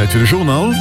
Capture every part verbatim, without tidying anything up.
Zäit fir de Journal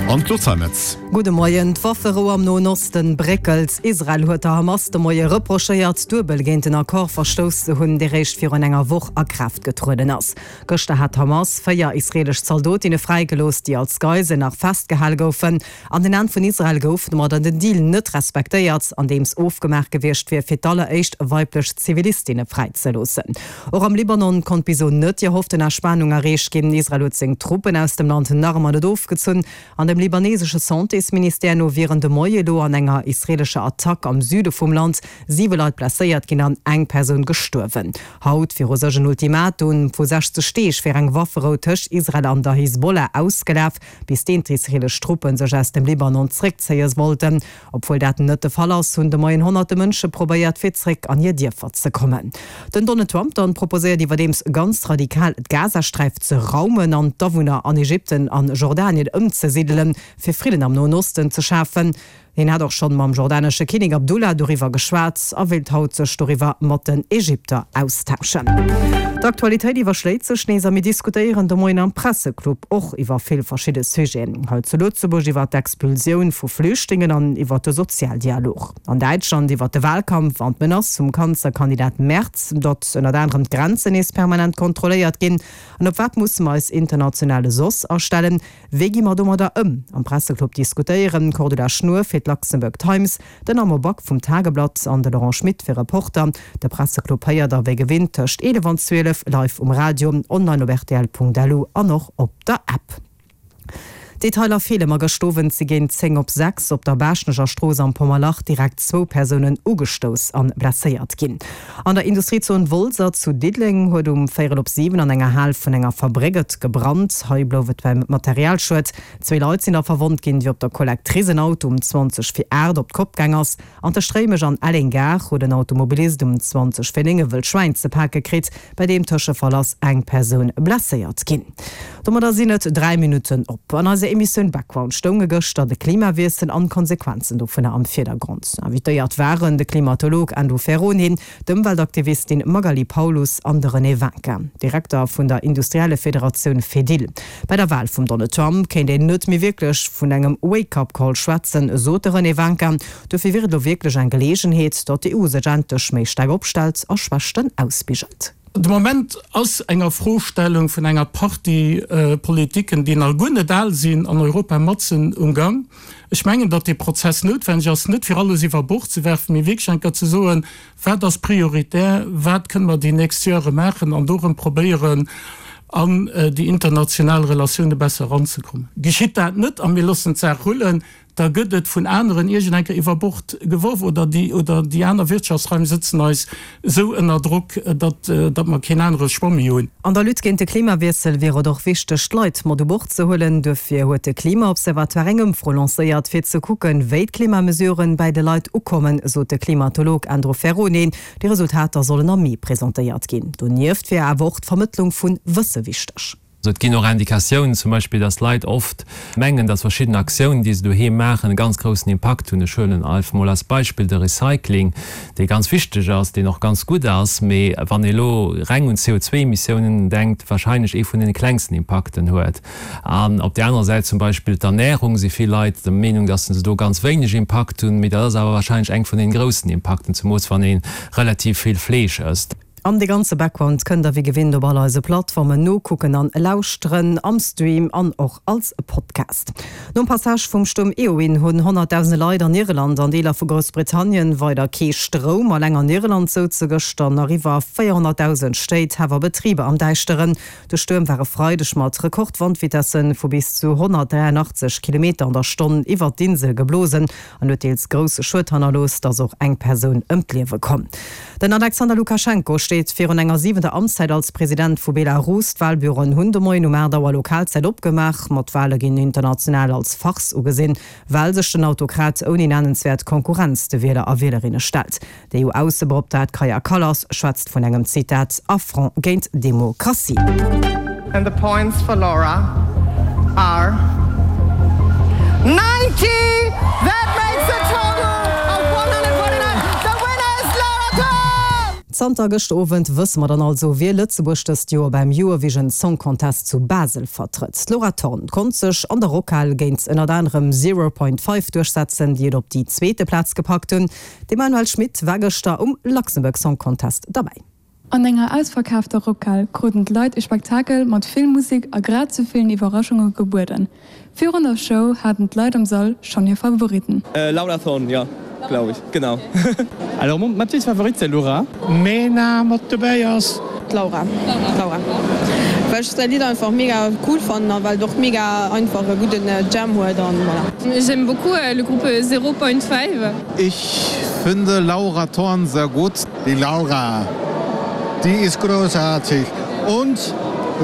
an d'Claude Zeimetz. Gudde Moien. D'Wafferou am Noen Osten bréckelt. Israel huet der Hamas de Moie reprochéiert, duebel géint den Accord verstouss ze hunn, dee réischt virun enger Woch a Kraaft getrueden ass. Gëschter hat d'Hamas véier israeelesch Zaldotinne fräigelooss, déi als Geisel nach festgehale goufen. An den Aen vun Israel gouf domadder den Deal net respektéiert, andeems ofgemaach gewiescht wier, fir d'alleréischt weiblech Zivilistinne fräizeloossen. Och am Libanon konnt bis elo net déi erhofften Entspanung erreecht ginn. Israel huet seng Truppen aus dem Land nach ëmmer net ofgezunn. An dem libanesesche Santésministère no wieren de Moie elo an enger israeelescher Attack am Süde vum Land siwe Leit blesséiert ginn an eng Persoun gestuerwen. Haut wier u sech en Ultimatum vu sechzeg Deeg fir eng Wafferou tëscht Israel an der Hisbollah ausgelaf, bis deen d'israeelesch Truppe sech aus dem Libanon zréckzéie wollten. Obwuel dat net de Fall ass, hunn de Moien honnerte Mënsche probéiert, fir zréck an hir Dierfer ze kommen. Den Donald Trump dann proposéiert iwwerdeems ganz radikal, d'Gazasträif ze raumen an d'Awunner an Ägypten an Jordanien ëmzesidelen, fir Fridden am Noen Osten ze schafen. Hien hat och schonn mam jordanesche Kinnek Abdullah doriwwer geschwat a wéilt haut sech doriwwer mat den Ägypter austauschen. D'Aktualitéit iwwerschléit sech nees a mir diskutéieren de Moien am Presseclub och iwwer vill verschidde Sujeten. Hei zu Lëtzebuerg iwwer d'Expulsioun vu Flüchtlingen an iwwer de Sozialdialog. An Däitschland iwwer de Walkampf an d'Menace vum Kanzlerkandidat Merz, datt ënnert anerem d'Grenzen nees permanent kontrolléiert ginn. An op wat musse mer eis internationale soss astellen? Wéi gi mer domadder ëm? Am Presseclub diskutéieren d'Cordula Schnuer fir d'Luxembourg Times, den Armand Back vum Tageblatt an de Laurent Schmit fir Reporter. De Presseclub héiert der wéi gewinnt tëscht eelef an zwielef live um Radio, online op rtl.lu an och op der App. Detailer feele ma gëscht Owend si géint zéng op sechs op der Baaschtnecher Strooss am Pommerlach direkt zwou Persounen ugestouss an blesséiert ginn. An der Industriezon Wolser zu Diddeleng huet um véierel op siwen an enger Hal vun enger Fabréck et gebrannt. Hei blouf et beim Materialschued. Zwee Leit sinn da verwonnt ginn, wéi op der Collectrice en Auto um zwanzeg vir aacht op d'Kopp gaang ass. An tëscht Réimech an Elleng-Gare huet en Automobilist um zwanzeg vir néng e wëllt Schwäin ze pake kritt. Bei deem Tëschefall ass eng Persoun blesséiert ginn. Domadder sinn et dräi Minutten op. An eiser Emissioun Background stounge gëschter de Klimawiessel an d'Konsequenzen dovunner am Virdergrond. Invitéiert waren de Klimatolog Andrew Ferrone, d'Ëmweltaktivistin Magali Paulus an de René Winkin, Direkter vun der Industriellefederatioun Fedil. Bei der Wal vum Donald Trump kéint een net méi wierklech vun engem Wake-up-Call schwätzen, sot de René Winkin. Dofir wier et elo wierklech eng Geleegenheet, datt d'E U sech endlech méi staark opstellt a Schwächten ausbigelt. De Moment ass eng Afrostellung vun enger Partie Politiken, déi nach guer net al sinn, an Europa matzen um Gang. Ech mengen, datt dee Prozess noutwenneg ass, net fir alles iwwer Bord ze werfen, mee wierklech eng Kéier ze soen, Wat ass prioritär, wat kënne mer déi nächst Jahre maachen, an do erëm probéieren, an déi international Relatioune besser eranzekommen. Geschitt dat net a mir loossen d'Saach rullen, da gëtt et vun aneren iergend eng Kéier iwwer Bord geworf oder déi oder déi aner Wirtschaftsraim sëtzen eis esou ënner Drock, datt datt mer keen anere Choix méi hunn. An der Lutte géint de Klimawiessel wier et och wichteg, d'Leit mat u Bord ze huelen. Duerfir huet de Klimaobservatoire eng Ëmfro lancéiert, fir ze kucken, wéi d'Klimamesuren bäi de Leit ukommen, sot de Klimatolog Andrew Ferrone. Déi Resultater sollen am Mee presentéiert ginn. Donieft wier awer och d'Vermëttlung vu Wësse wichteg. Et ginn och Indikatiounen, zum Beispill, dass Leit oft mengen, dass verschidden Aktiounen, déi se doheem maachen, e ganz groussen Impakt hunn. Ech huelen einfach mol als Beispill de Recycling, dee ganz wichteg ass, deen och ganz gutt ass, mee wann ee elo reng un d'C O zwee Emissiounen denkt, wahrscheinlech ee vun deene klengsten Impakten huet. An op där anerer Säit zum Beispill d'Ernährung, si vill Leit der Meenung, dass se do ganz wéineg Impakt hunn, mee dat ass awer wahrscheinlech eng vun deene groussen Impakten, zemoos wann ee relativ vill Fleesch ësst. An de ganze Background kënnt der wéi gewinnt op all eise Plattformen nokucken an lauschteren, am Stream an och als Podcast. Nom Passage vum Stuerm Eowyn hunn honnertdausende Leit an Irland an Deeler vu Groussbritannien weider kee Stroum. Alleng an Irland souze gëschter nach iwwer véierhonnertdausend Stéit, Häff a Betriber am Däischteren. De Stuerm war e Freideg mat Rekordwandvitesse vu bis zu honnertdräianachtzeg Kilometer an der Stonn iwwert d'Insel geblosen an huet deels grousse Schued hannerlooss, et ass och eng Persoun ëm d'Liewe komm. Den Alexander Lukaschenko steet virun enger siwenter Amtszäit als President vu Belarus. D'Walbüroen hunn de Moien um aacht Auer Lokalzäit opgemaach. Ma d'Wale ginn international als Farce ugesinn, well sech den Autokrat ouni nennenswäert Konkurrenz de Wieler a Wielerinne stellt. D'E U-Aussebeoptraagt Kaja Kallas schwätzt vun engem, Zitat, Affront géint d'Demokratie. And the points for Laura are ninety! That makes a total of one hundred forty-nine. The winner is Laura Thorn! Zanter gëschter Owend wësse mer dann also, wie Lëtzebuerg dëst Joer beim Eurovision Song Contest zu Basel vertrëtt. D'Laura Thorn konnt sech an der Rockhal géint ënnert anerem Zero Point Five duerchsetzen, déi et op déi zweete Plaz gepackt hunn. D'Emmanuelle Schmit war gëschter um Luxembourg Song Contest derbäi. An enger ausverkaafter Rockhal kruten d'Leit e Spektakel mat vill Musek a grad sou villen Iwwerraschunge gebueden. Virun der Show haten d'Leit am Sall schonn hir Favoritten. Laura Thorn, ja, glaube ich, genau. Alors ma petite favorite c'est Laura. Mena mat dobäi ass. D'Laura. D'Laura. Well ech säi Lidd einfach mega cool fannen a well et och mega einfach e gudden Jam huet an voilà. J'aime beaucoup le groupe Zero Point Five. Ich finde Laura Thorn sehr gut. Die Laura, die ist großartig und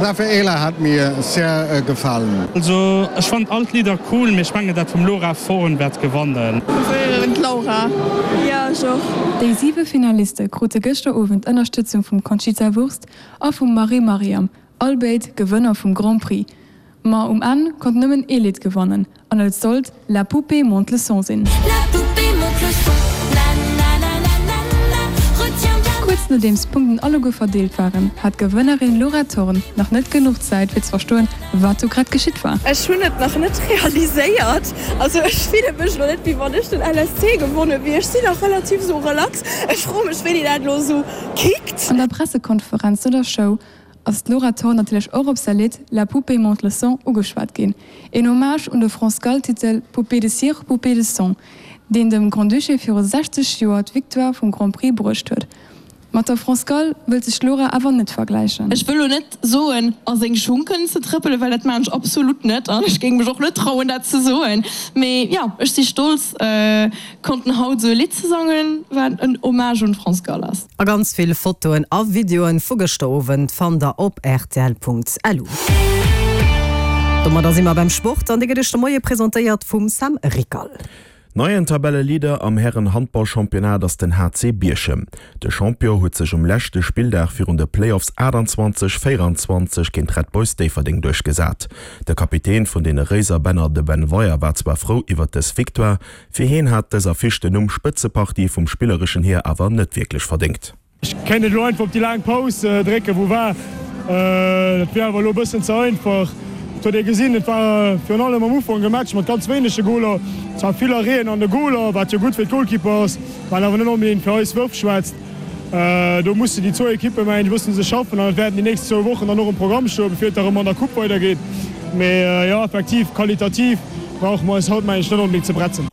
Raffaela hat mir sehr gefallen. Also ech fand all d'Lidder cool, mee ech mengen dat vum Laura Thorn wäert gewannen. Preferéieren d'Laura. Jo ech och. Déi siwe Finaliste krute gëschter Owend Ënnerstëtzung vum Conchita Wurst a vum Marie Mariam, all béid Gewënner vum Grand Prix. Ma um Enn konnt nëmmen ee Lidd gewannen an et sollt La poupée monte le son sinn. Kuerz nodeems d'Punkten alleguer verdeelt waren, hat d'Gewënnerin Laura Thorn nach net genuch Zäit fir ze verstoen, wat do grad geschitt war. Ech hunn et nach net realiséiert, also ech fille mech elo net wéi wann ech den L S C gewonne wier. Ech sinn nach relativ sou relax. Ech froe mech wéini dat elo sou kickt. An der Pressekonferenz no der Show ass d'Laura Thorn natierlech och op säi Lidd La poupée monte le son ugeschwat ginn, een Hommage un de France Gall-Titel Poupée de cire, poupée de son, deen dem Grand-Duché viru sechzeg Joer d'Victoire vum Grand Prix bruecht huet. Mat der France Gall wëllt sech d'Laura awer net vergläichen. Ech wëll lo net soen, a seng Schung kënnen ze trëppelen, well dat maan ech absolut net an ech géing mech och net trauen dat ze soen. Mee jo, ech si stolz konnten haut esou e Lidd ze sangen, wat en Hommage un d'France Gall ass. A ganz vill Fotoen a Videoen vu gëschter Owend fannt der op rtl Punkt L U. Domadder si mer beim Sport an dee gëtt iech de Moie presentéiert vum Sam Rickal. Neien Tabelleleader am Hären-Handball-Championnat ass den H C Bierchem. De Champion huet sech um leschte Spilldag virun de Playoffs achtanzwanzeg, véierundzwanzeg géint Red Boys Déifferdeng duerchgesat. De Kapitän vun deene Réiserbänner, de Ben Weyer, war zwar frou iwwer dës Victoire, fir hien hat dës Affiche den Numm Spëtzepartie vum spillereschen hier awer net wierklech verdéngt. Ech kéint et elo einfach op déi laang Paus drécken, wou war. Dat wier awer elo e bëssen ze einfach. Et huet ee gesinn, et war virun allem am Ufank e Match mat ganz wéinege Goler. Zwar vill Arrêten an de Goler, wat jo gutt fir d'Goalkeeper ass, wat awer net onbedéngt fir eis Wërf schwätzt. Do mussen déi zwou Ekippe mengen ech e bëssen sech schaffen an et wäerten déi nächst zwou Wochen dann och um Programm stoen, bevir et da rëm an der Coupe weidergeet. Mee jo, effektiv, qualitativ brauche mer eis haut mengen ech net onbedéngt ze bretzen.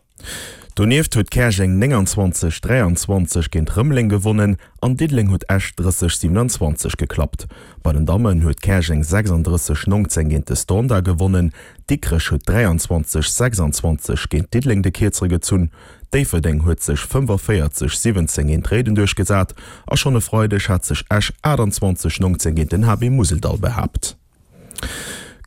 Donieft huet Käerjeng nénganzwanzeg, dräianzwanzeg géint Rëmeleng gewonnen an Diddeleng huet Esch drësseg, siewenanzwanzeg geklappt. Bei den Dammen huet Käerjeng sechsanddrësseg, nongzéng géint de Standard gewonnen, Dikrech huet dräianzwanzeg, sechsanzwanzeg géint Diddeleng de Kierzere gezunn, Déifferdeng huet sech fëmfavéierzeg, siwwenzéng géint Réiden duerchgesat a schonn e Freideg hat sech Esch aachtanzwanzeg, nongzéng géint den H B Museldall behaapt.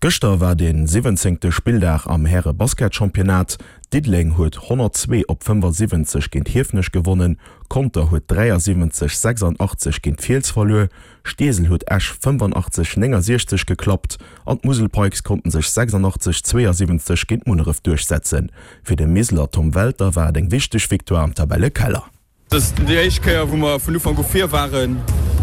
Gëschter war de siwwenzéngte Spilldag am Häre-Basketchampionnat. Diddeleng huet honnertzwee op fëmmfasiwwenzeg géint Hiefenech gewonnen, Conter huet dräiasiwwenzeg, sechsandachtzeg géint Fiels verluer, Steesel huet Esch fëmmfanaachtzeg, néngasiechzeg geklappt an d'Musel Pikes konnten sech sechsandachtzeg, zweeasiwwenzeg géint Munneref duerchsetzen. Fir de Miseler Tom Welter war et eng wichteg Victoire am Tabellekeller. Et ass déi éischt Kéier, wou mer vun Ufank u vir waren.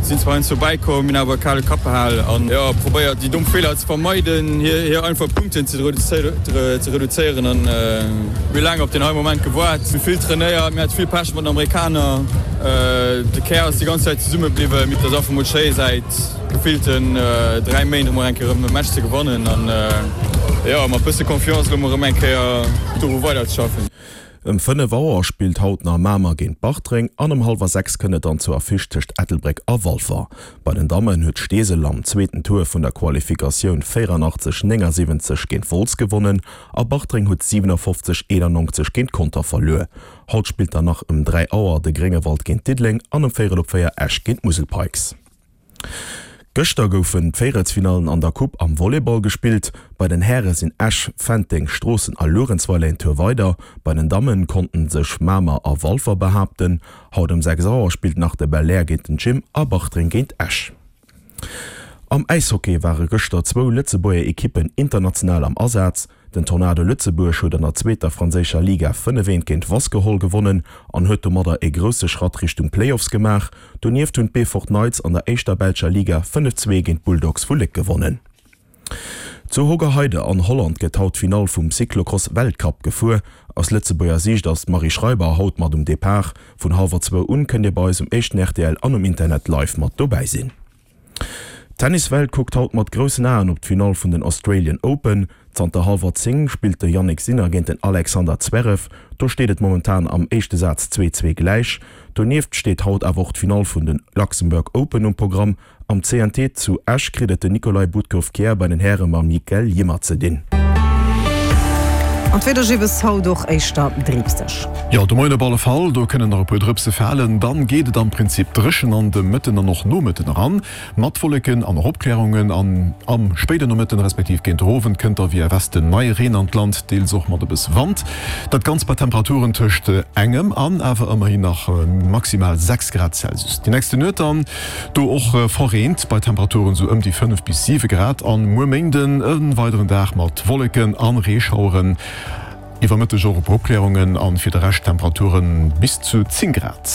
Sinn zwar heiansdo bäikomm, hunn awer e kale Kapp behal an, jo, probéiert déi domm Feeler ze vermeiden, hir hir einfach Punkten ze ze reduzéieren an mir hu laang op deen hei Moment gewaart. Mir hu vill trainéiert, mir hate vill Pech mat den Amerikaner, de Kär ass déi ganz Zäit zesumme bliwwen. Et ass einfach mol schéi säit gefillten dräi Méint emol eng Kéier erëm e Match ze gewannen an, jo, mat bësse Confiance elo mol erëm eng Kéier doru weiderzeschaffen. Ëm fënnef Auer spillt haut nach Mamer géint Bartreng an ëm hallwer sechs kënnt et dann zur Affiche tëscht Ettelbréck a Walfer. Bei den Dammen huet Steesel am zweeten Tour vun der Qualifikatioun véierandachtzeg, néngasiwwenzeg géint Wolz gewonnen a Bartreng huet siwenafofzeg, eenannonzeg géint Conter verluer. Haut spillt dann nach ëm dräi Auer de Gréngewald géint Diddeleng an ëm véierel op véier Esch géint d'Musel Pikes. Gëschter goufen d'Véierelsfinallen an der Coupe am Volleyball gespillt. Bei den Häre sinn Esch, Fenteng, Stroossen a Luerenzweiler een Tour weider. Bei den Dammen konnten sech Mamer a Walfer behaapten. Haut ëm sechs Auer spillt nach de Belair géint den Gym a Bartreng géint Esch. Am Äishockey ware gëschter zwou Lëtzebuerger Ekippen international am Asaz. Den Tornado Lëtzebuerg huet an der zweeter franséischer Liga fënnef eent géint Wasquehal gewonnen an huet domadder e grousse Schratt Richtung Playoffs gemaach. Donieft hunn d'Beefort Knights an der éischter belscher Liga fënnef zwee géint d'Bulldogs vu Léck gewonnen. Zu Hoogerheide an Holland gëtt haut d'Finall vum Cyclocross-Weltcup gefuer. Aus Lëtzebuerger Siicht ass d'Marie Schreiber haut mat um Depart. Vun hallwer zwou un kënnt Dir bei eis um éischten rtl an um Internet live mat dobäi sinn. D'Tenniswelt kuckt haut mat groussen Aen op d'Finall vun den Australian Open. Zanter hallwer zéng spillt de Jannik Sinner géint den Alexander Zverev. Do steet et momentan am éischte Saz zwee zwee gläich. Donieft steet haut awer och d'Finall vun den Luxembourg Open um Programm. Am C N T zu Esch kritt et den Nicolai Budkov-Kjær bei den Häre mam Mikael Ymer ze dinn. An d'Wieder bis haut och éischter dripseg. Jo, de Moien op alle Fall, do kënnen nach e puer Drëpse falen. Dann geet et am Prinzip dréchen an de Mëtten an och Nomëtten eran, mat Wolleken an och Opklärungen. An am spéiden Nomëtten respektiv géint den Owend kënnt da via Westen neie Reen an d'Land, deels och mat e bësse Wand. Dat Ganzt bei Temperaturen tëscht engem an awer ëmmerhin nach maximal sechs Grad Celsius. Déi nächste Nuet dann do och verreent bei Temperaturen sou ëm déi fënnef bis siwe Grad. An muer Méinden e weideren Dag mat Wolleken an Reeschaueren. Iwwer Mëtteg och e puer Opklärungen an fir de Rescht Temperaturen bis zu zéng Grad.